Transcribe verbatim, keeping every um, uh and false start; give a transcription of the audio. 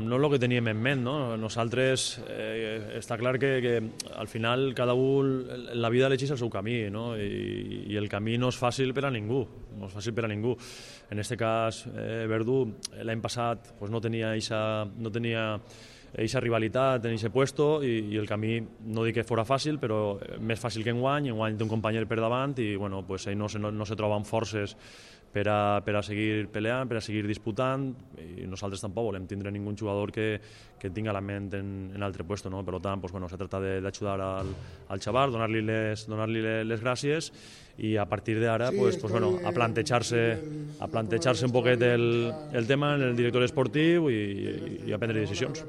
No és el que teníem en ment, no? Nosaltres, eh, està clar que, que al final cada un, en la vida elegeix el seu camí, no? I, i el camí no és fàcil per a ningú, no és fàcil per a ningú. En aquest cas, eh, Verdú l'any passat pues, no tenia eixa, no tenia eixa rivalitat en aquest puesto i, i el camí, no dic que fora fàcil, però més fàcil que enguany, enguany té un company per davant i bueno, pues, ell no se, no, no se troba amb forces per a, per a seguir peleant, per a seguir disputant, i nosaltres tampoc volem tindre ningú jugador que, que tinga la ment en, en altre puesto, no? Per tant, pues, bueno, se trata d'ajudar al, al xaval, donar-li les, donar-li les gràcies i a partir d'ara sí, pues, pues, bueno, a plantejar-se a plantejar-se un poquet el, el tema en el director esportiu i, i, i a prendre decisions.